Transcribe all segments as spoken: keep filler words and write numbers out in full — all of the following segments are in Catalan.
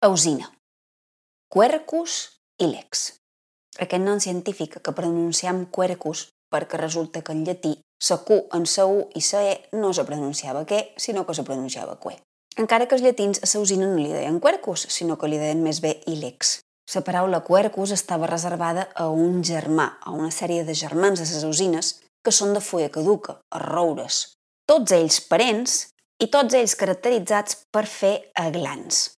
Ausina, Quercus ilex. Aquest nom científic que pronunciam Quercus perquè resulta que en llatí la Q en la U i la E no se pronunciava que, sinó que se pronunciava que. Encara que els llatins a l'ausina no li deien Quercus, sinó que li deien més bé ilex. La paraula Quercus estava reservada a un germà, a una sèrie de germans de les ausines que són de fulla caduca, els roures. Tots ells parents i tots ells caracteritzats per fer aglans,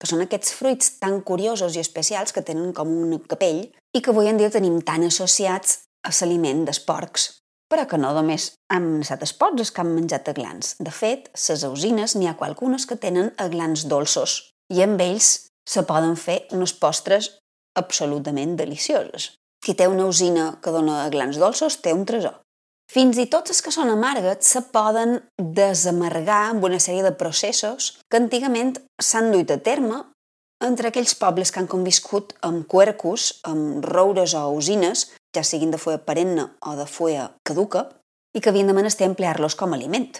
que són aquests fruits tan curiosos i especials que tenen com un capell i que avui en dia tenim tan associats a l'aliment dels porcs, però que no només han estat els porcs els que han menjat aglans. De fet, les ausines n'hi ha qualcunes que tenen aglans dolços i amb ells se poden fer unes postres absolutament delicioses. Qui té una ausina que dona aglans dolços té un tresor. Fins i tot els que són amargues se poden desamargar amb una sèrie de processos que antigament s'han duit a terme entre aquells pobles que han conviscut amb quercus, amb roures o ausines, ja siguin de fulla perenne o de fulla caduca, i que havien de menester emplear-los com a aliment.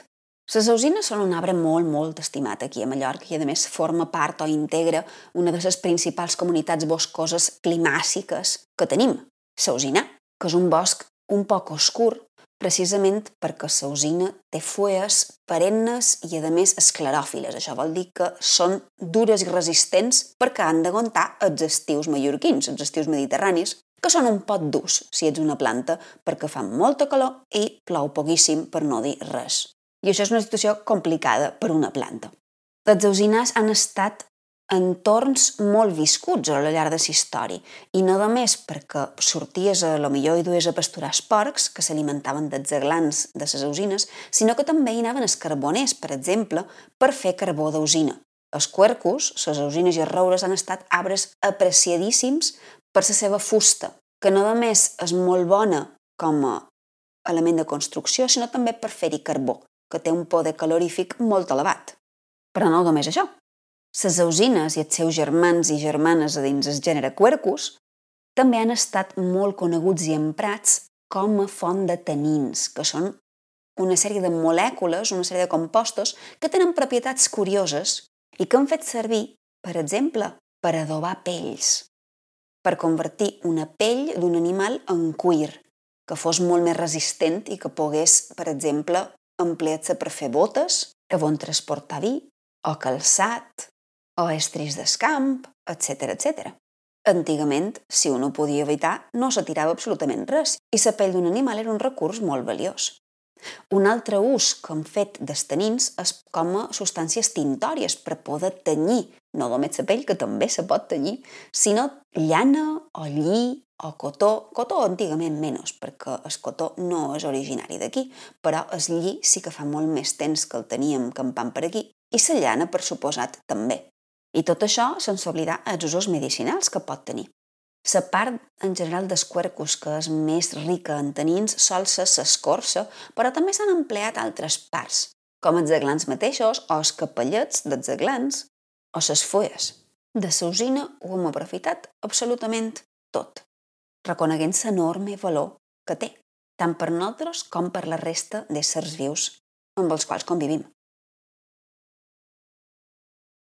Les ausines són un arbre molt, molt estimat aquí a Mallorca i, a més, forma part o integra una de les principals comunitats boscoses climàssiques que tenim, l'Ausina, que és un bosc un poc oscur, precisament perquè l'ausina té fulles perennes i, a més, escleròfiles. Això vol dir que són dures i resistents perquè han d'aguantar els estius mallorquins, els estius mediterranis, que són un pot durs si ets una planta perquè fa molta calor i plou poquíssim, per no dir res. I això és una situació complicada per una planta. Les ausinars han estat entorns molt viscuts a la llarg de la història, i no només perquè sorties a lo millor i dues a pasturar els porcs, que s'alimentaven dels aglans de les ausines, sinó que també hi anaven els carboners, per exemple, per fer carbó d'ausina. Els quercus, les ausines i els roures han estat arbres apreciadíssims per la seva fusta, que no només és molt bona com a element de construcció, sinó també per fer-hi carbó, que té un poder calorífic molt elevat. Però no només això. Les ausines i els seus germans i germanes a dins el gènere Quercus també han estat molt coneguts i emprats com a font de tanins, que són una sèrie de molècules, una sèrie de compostos que tenen propietats curioses i que han fet servir, per exemple, per adobar pells, per convertir una pell d'un animal en cuir, que fos molt més resistent i que pogués, per exemple, emplear-se per fer botes, on transportar vi, o calçat, o estris d'escamp, etcètera, etcètera. Antigament, si un ho podia evitar, no se tirava absolutament res, i la pell d'un animal era un recurs molt valiós. Un altre ús que han fet dels tanins és com a substàncies tintòries per poder tenyir, no només la pell, que també se pot tenyir, sinó llana o lli o cotó. Cotó antigament menys, perquè el cotó no és originari d'aquí, però el lli sí que fa molt més temps que el teníem campant per aquí, i la llana, per suposat, també. I tot això sense oblidar els usos medicinals que pot tenir. La part en general dels quercus que és més rica en tanins sol ser l'escorça, però també s'han empleat altres parts, com els aglans mateixos o els capellets dels aglans o les fulles. De l'ausina ho hem aprofitat absolutament tot, reconeguent l'enorme valor que té, tant per nosaltres com per la resta d'éssers vius amb els quals convivim.